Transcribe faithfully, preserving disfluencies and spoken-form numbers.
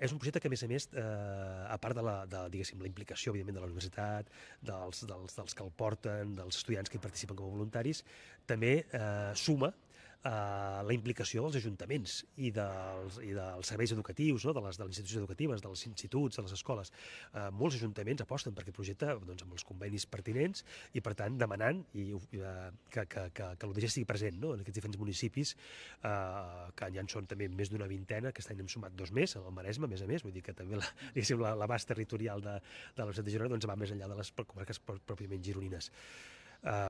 és un projecte que, a més a més, eh, a part de la, de, diguéssim, la implicació, evidentment, de la universitat, dels, dels, dels que el porten, dels estudiants que hi participen com a voluntaris, també eh, suma Uh, la implicació dels ajuntaments i dels, i dels serveis educatius, no? de, les, de les institucions educatives, dels instituts, de les escoles. Uh, molts ajuntaments aposten per aquest projecte doncs, amb els convenis pertinents i, per tant, demanant i, uh, que, que, que, que l'U D G estigui present, no? en aquests diferents municipis, uh, que ja en són també més d'una vintena, aquest any hem sumat dos més, al Maresme, a més a més, vull dir que també l'abast territorial de, de la Universitat de Girona doncs, va més enllà de les comarques pròpiament gironines. Uh,